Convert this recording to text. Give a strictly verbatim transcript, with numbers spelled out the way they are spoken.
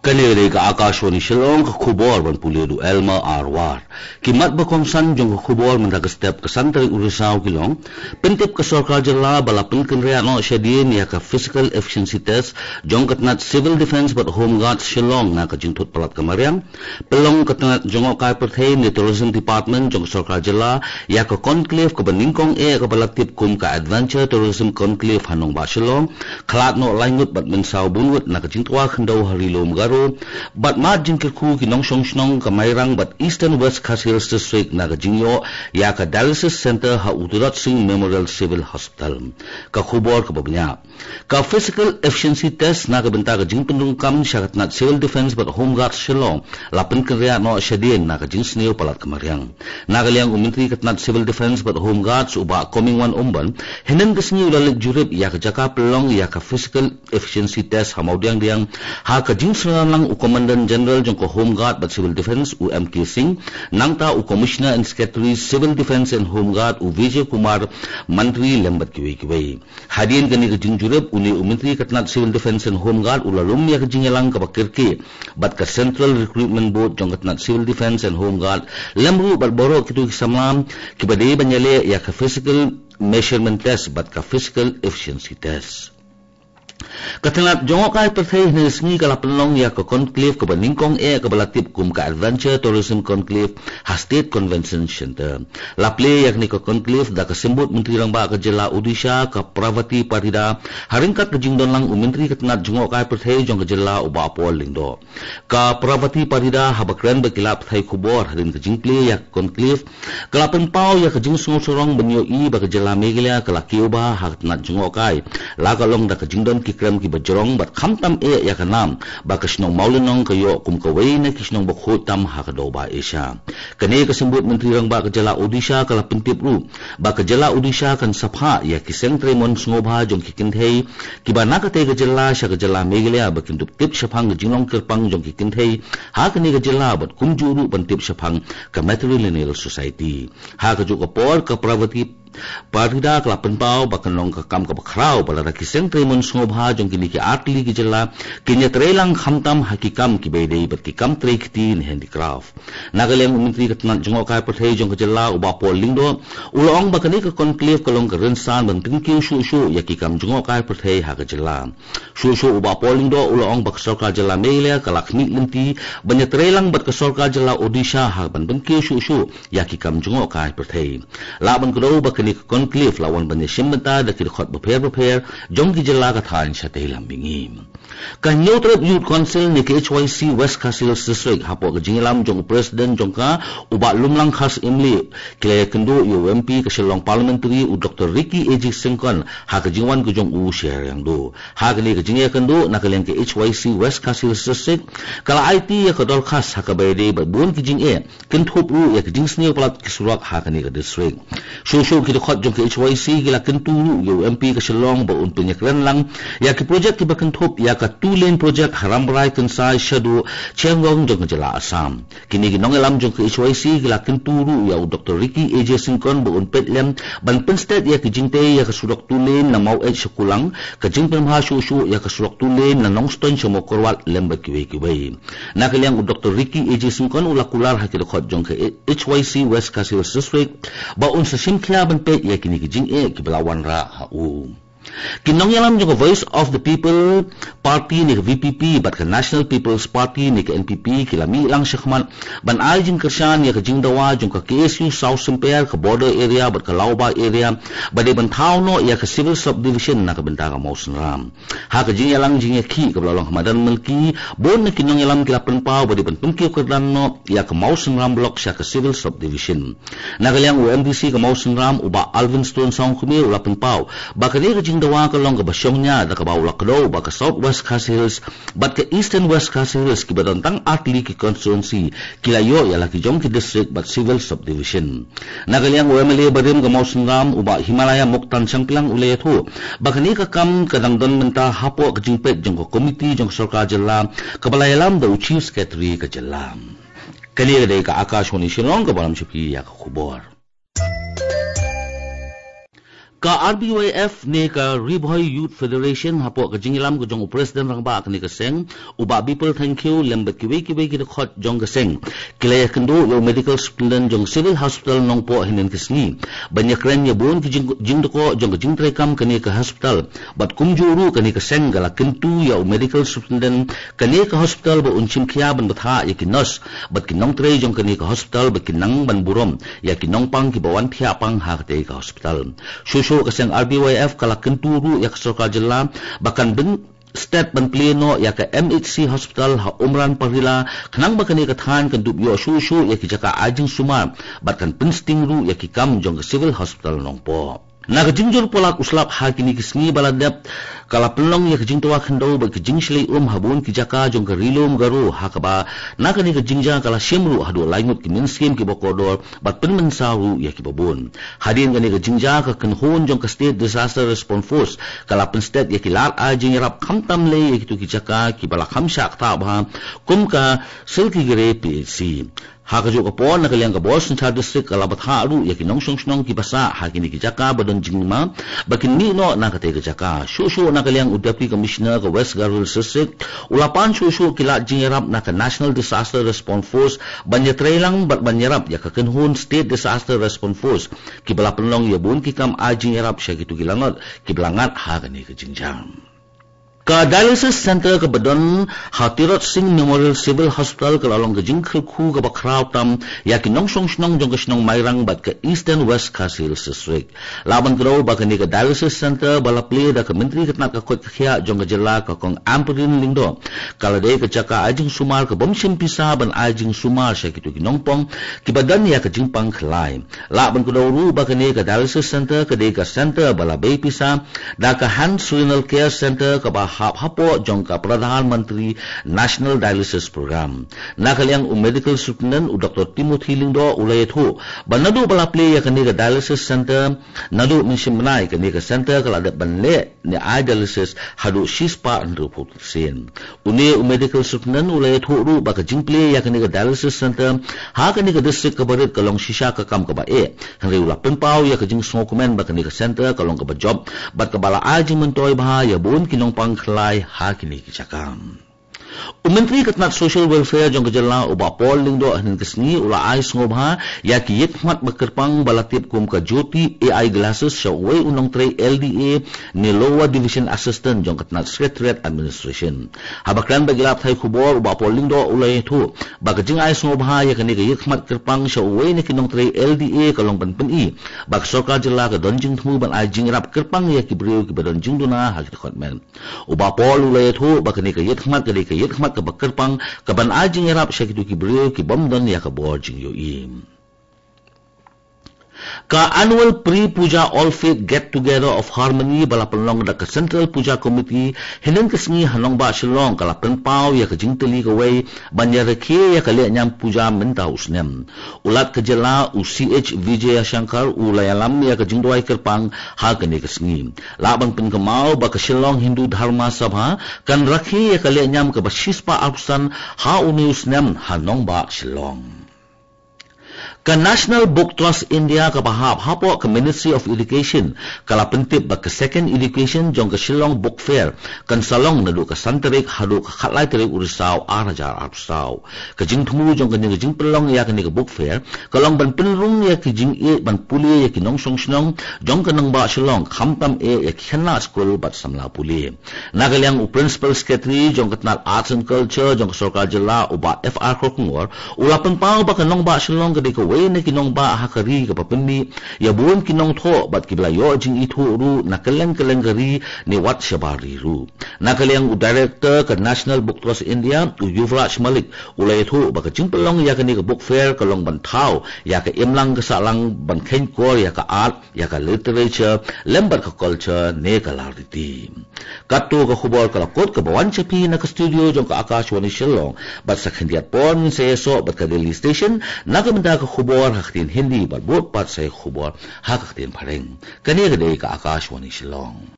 Kane dei ka Akashvani Shillong, ka khubor ban pule da u Elmer R War. Ki mat ba kongsan jong ka khubor mynta ka step ka san tarik u Risaw ki long: Pyntip ka sorkar jylla ba la pynkynriah noh shadien ïa ka physical efficiency test jong ka tnat Civil Defence bad Home Guard Shillong na ka jingthut palat ka mariang. Pynlong ka tnat jngohkai pyrthei ne Tourism Department jong ka sorkar jylla ïa ka conclave kaba nyngkong eh kaba la tip kum ka Adventure Tourism Conclave ha nongbah Shillong, khlad noh lai ngut bad mynsaw bun ngut na ka jingtwa khyndew ha Ri Lum Garo, bad mad jingkyrkhu ki nongshong shnong ka Mairang bad Eastern West Khasi Hills District na ka jingïoh ïa ka Dialysis Centre ha u Tirot Sing Memorial Civil Hospital. Ka khubor kaba bniah. Ka physical efficiency test na ka bynta ka jingpynrung kam sha ka tnat Civil Defence bad Home Guard Shillong la pynkynriah noh shadien na ka jingsniew palat ka mariang. Na ka liang u Myntri ka tnat Civil Defence bad Home Guards u Bah Comingone Ymbon, hynnin ka sngi u la leit jurip ïa ka jaka pynlong ïa ka physical efficiency test ha Mawdiangdiang, ha ka jingsynran lang u Commandant General jong ka Home Guard bad Civil Defence u M K Singh, nangta u Commissioner and Secretary Civil Defence and Home Guard u Vijay Kumar Mantri lem bad kiwei kiwei. Hadien kane ka jingjurip, une u Myntri ka tnat Civil Defence and Home Guard u la lum ïa ka jingïalang kaba kyrkieh bad ka Central Recruitment Board jong ka tnat Civil Defence and Home Guard, lem ruh bad baroh kito ki samla kiba dei ban ïaleh ïa ka physical measurement test bad ka physical efficiency test. Ka tnat jngohkai pyrthei hynne ka sngi ka la pynlong ïa ka conclave kaba nyngkong eh kaba la tip kum ka Adventure Tourism Conclave ha State Convention Centre. La plie ïa kane ka conclave da ka Symbud Myntri Rangbah ka jylla Odisha ka Pravati Parida, ha ryngkat ka jingdon lang u Myntri ka tnat jngohkai pyrthei jong ka jylla u Bah Paul Lyngdoh. Ka Pravati Parida haba kren bad ki lad pathai khubor hadien ka jingplie ïa ka conclave, ka la pynpaw ïa ka jingsngewsarong ban ïohi ba ka jylla Meghalaya ka la kiew bha ha ka tnat jngohkai, la ka long da ka jingdon ki krem kiba jrong bad khamtam eh ïa ka nam ba ka shnong Mawlynnong ka ïoh kum kawei na ki shnong ba khuid tam ha ka dewbah Asia. Kane ka Symbud Myntri Rangbah ka jylla Odisha ka la pyntip ruh ba ka jylla Odisha kan sa phah ïa ki seng trei mon sngewbha jong ki kynthei kiba na katei ka jylla sha ka jylla Meghalaya ba kin dup tip shaphang ka jinglong kyrpang jong ki kynthei ha kane ka jylla bad kumjuh ruh ban tip shaphang ka Matrilineal Society. Ha kajuh ka por ka Pravati Parida ka la pynpaw ba kan long ka kam kaba khraw ba lada ki seng trei mon sngewbha jong kine ki artylli ki jylla kin ïatrei lang khamtam ha ki kam kiba ïadei bad ki kam trei kti ne handicraft. Na ka liang u Myntri ka tnat jngohkai pyrthei jong ka jylla u Bah Paul Lyngdoh u la ong ba kane ka conclave ka long ka rynsan ban pynkiew shuh shuh ïa ki kam jngohkai pyrthei ha ka jylla. Shuh shuh u Bah Paul Lyngdoh u la ong ba ka sorkar jylla Meghalaya ka la khmih lynti ban ïatrei lang bad ka sorkar jylla Odisha ha ban pynkiew shuh shuh ïa ki kam jngohkai pyrthei. Lah ban kdew ba kane ka conclave la wan ban ïashim bynta da ki dkhot bapher bapher jong ki jylla ka thaiñ shatei lam mihngi. Ka Hynñiewtrep Youth Council ne ka H Y C West Khasi Hills District hapoh ka jingïalam jong u President jong ka u Bah Lumlang Kharsyiemlieh, ki la ïakynduh ïa u M P ka Shillong Parliamentary u Doctor Ricky A J Syngkon ha ka jingwan ka jong u sha Riangdo. Ha kane ka jingïakynduh na ka liang ka H Y C West Khasi Hills District ka la aiti ïa ka dorkhas ha kaba ïadei bad bun ki jingeh, kynthup ruh ïa ka jingsniew palat ki surok ha kane ka district. Shuh shuh ki dkhot jong ka H Y C ki la kyntu ruh ïa u M P ka Shillong ba un pynïakren lang ïa ki projek kiba kynthup ïa ka two lane project ha Rambrai Kynsai Shaduh Chiangong jong ka jylla Assam. Kine ki nongïalam jong ka H Y C ki la kyntu ruh ïa u Doctor Ricky A J Syngkon ba un peit lem ban pynsted ïa ki jingtei ïa ka surok two lane na Maweit sha Kulang, ka jingpynbha shuh shuh ïa ka surok two lane na Nongstoiñ sha Mawkyrwat lem bad kiwei kiwei. Na ka liang u Doctor Ricky A J Syngkon u la kular ha ki dkhot jong ka H Y C West Khasi Hills District ba un sa shim khia ban peit ïa kine ki jingeh kiba la wanrah ha u. Ki nongïalam jong ka Voice of the People Party ne ka V P P bad ka National People's Party ne ka N P P ki la mih lang shakhmat ban ai jingkyrshan ïa ka jingdawa jong ka K S U South Symper, ka Border Area bad ka Lawbah Area ba dei ban thaw noh ïa ka Civil Subdivision na ka bynta ka Mawsynram. Ha ka jingïalang jingïakhih kaba la long ha madan Malki, bun na ki nongïalam ki la pynpaw ba dei ban pynkiew kyrdan noh ïa ka Mawsynram Block sha ka Civil Subdivision. Na ka liang u M D C ka Mawsynram u Bah Alvin Stone Sawkmie u la pynpaw ba kane ka jingdawa ka long kaba shongnia da kaba u la kdew ba ka South West Khasi Hills bad ka Eastern West Khasi Hills kiba don tang artylli ki constituency ki la ïoh ïa la ki jong ki district bad civil subdivision. Na ka liang u M L A barim ka Mawsynram u Bah Himalaya Muktan Shangpliang u la ïathuh ba kane ka kam ka dang don mynta hapoh ka jingpeit jong ka komiti jong ka sorkar jylla kaba la ïalam da u Chief Secretary ka jylla. Kane ka dei ka Akashvani Shillong kaba lam sha phi ïa ka khubor. Ka R B Y F ne ka Ri Bhoi Youth Federation hapoh ka jingïalam ka jong u President Rangbah kane ka seng, u Bah Bipul Thangkhiew lem bad kiwei kiwei ki dkhot jong ka seng, ki la ïakynduh ïa u Medical Superintendent jong Civil Hospital Nongpoh hynnin ka sngi ban ïakren ïa bun ki jing, jingdkha jong ka jingtreikam kane ka hospital. Bad kumjuh ruh kane ka seng ka la kyntu ïa u Medical Superintendent kane ka hospital ba un shim khia ban bthah ïa ki nurse bad ki nongtrei jong kane ka hospital ba kin nang ban burom ïa ki nongpang kiba wan thiah pang ha katei ka hospital. Shuh shuh ka seng R B Y F ka la kyntu ruh ïa ka sorkar jylla ba kan bun stet ban plie noh ïa ka M H C hospital ha Umran Parila, khnang ba kane ka thaiñ kan dup ïoh shuh shuh ïa ki jaka ai jingsumar bad kan pynsting ruh ïa ki kam jong ka Civil Hospital Nongpoh. Na ka jingjur palat u slap ha kine ki sngi ba la dep, ka la pynlong ïa ka jingtwa khyndew bad ka jingshlei um ha bun ki jaka jong ka Ri Lum Garo, ha kaba na kane ka jingjia ka la shim ruh haduh lai ngut ki mynsiem kiba kordor bad pynmynsaw ruh ïa kiba bun. Hadien kane ka jingjia ka kynhun jong ka State Disaster Response Force ka la pynstet ïa ki lad ai jingïarap khamtam lei ïa kito ki jaka kiba la kham shah ktah bha kum ka Silkigre P H C. Ha kajuh ka por, na ka liang ka bor synshar district ka la bthah ruh ïa ki nongshong shnong kiba sah ha kine ki jaka ba don jingma ba kin mih noh na katei ka jaka. Shuh shuh na ka liang u Deputy Commissioner ka West Garo Hills District u la pan shuh shuh ki lad jingïarap na ka National Disaster Response Force ban ïatreilang bad ban ïarap ïa ka kynhun State Disaster Response Force kiba la pynlong ïa bun ki kam ai jingïarap sha kito ki lanot kiba la ngat ha kane ka jingjia. Ka dialysis center kaba don ha Tirot Sing Memorial Civil Hospital ka la long ka jingkyrkhu kaba khraw tam ïa ki nongshong shnong jong ka shnong Mairang bad ka Eastern West Khasi Hills District. Lah ban kdew ba kane ka dialysis center ba la plie da ka Myntri ka tnat ka koit ka khiah jong ka jylla ka Kong Ampareen Lyngdoh ka la dei ka jaka ai jingsumar ka bym shim pisa ban ai jingsumar sha kito ki nongpong kiba don ïa ka jingpang khlai. Lah ban kdew ruh ba kane ka dialysis center ka dei ka center ba la bei pisa da ka Hans Renal Care Center kaba hap hapoh jong ka Pradhan Mantri National Dialysis Program. Na ka liang u Medical Superintendent u Doctor Timothy Lyngdoh u la ïathuh ba naduh ba la plie ïa kane ka dialysis center, naduh mynshem bnai kane ka center ka la dep ban leh ne ai dialysis haduh shispah hynriewphew sien. Une u Medical Superintendent u la ïathuh ruh ba ka jingplie ïa kane ka dialysis center ha kane ka district kaba rit ka long shisha ka kam kaba eh. Hynrei u la pynpaw ïa ka jingsngewkmen ba kane ka center ka long kaba jop bad kaba la ai jingmyntoi bha ïa bun ki nongpang khlai ha kine ki jaka. U Myntri ka tnat Social Welfare jong ka jylla u Bah Paul Lyngdoh hynnin ka sngi u la ai sngewbha ïa ki ïit khmat ba kyrpang ba la tip kum ka Jyoti A I Glasses sha uwei u nongtrei L D A ne Lower Division Assistant jong ka tnat Secretariat Administration. Haba kren bad ki lad pathai khubor u Bah Paul Lyngdoh u la ïathuh ba ka jingai sngewbha ïa kane ka ïit khmat kyrpang sha uwei na ki nongtrei L D A ka long ban pyni ba ka sorkar jylla ka don jingthmu ban ai jingïarap kyrpang ïa ki briew kiba don jingduna ha ki dkhot met. U Bah Paul u la ïathuh ba kane ka ïit khmat ka dei ka ïit khmat kaba kyrpang kaban ai jingïarap sha kito ki briew ki bym don ïa ka bor jingïohi. Ka annual Pre Puja All Faith Get Together of Harmony ba la pynlong da ka Central Puja Committee hynnin ka sngi ha nongbah Shillong ka la pynpaw ïa ka jingtylli kawei ban ïarakhe ïa ka lehniam puja mynta u snem. U Lat ka jylla u C H Vijayashankar u la ïalam ïa ka jingduwai kyrpang ha kane ka sngi. Lah ban pynkynmaw ba ka Shillong Hindu Dharma Sabha kan rakhe ïa ka lehniam kaba shispah arphew san ha une u snem ha nongbah Shillong. Ka National Book Trust India kaba hap hapoh ka Ministry of Education ka la pyntip ba ka Second Edition jong ka Shillong Book Fair kan sa long naduh ka san tarik haduh ka khatlai tarik u Risaw ar hajar arphew saw. Ka jingthmu jong kane ka jingpynlong ïa kane ka Book Fair ka long ban pynrung ïa ka jingïeit ban pule ïa ki nongshong shnong jong ka nongbah Shillong, khamtam eh ïa ki khynnah skul bad samla pule. Na ka liang u Principal Secretary jong ka tnat Arts and Culture jong ka sorkar jylla u Bah F R Kharkongor u la pynpaw ba ka nongbah Shillong ka dei kawei na ki nongbah ha ka ri kaba pynmih ïa bun ki nongthoh bad kiba la ïoh jingithuh ruh na kylleng kylleng ka ri ne wat shabar ri ruh. Na ka liang u Director ka National Book Trust India u Yuvraj Malik u la ïathuh ba ka jingpynlong ïa kane ka Book Fair ka long ban thaw ïa ka imlang ka sahlang ban kheiñkor ïa ka art, ïa ka literature lem bad ka culture ne ka lariti. Kato ka khubor ka la kut kaba wan sha phi na ka studio jong ka Akashvani Shillong, bad sa khyndiat por ngin sa ïasoh bad ka Delhi Station na ka bynta ka khubor ha ka ktien Hindi bad bud pat sa ïa ka khubor ha ka ktien Phareng. Kane ka dei ka Akashvani Shillong.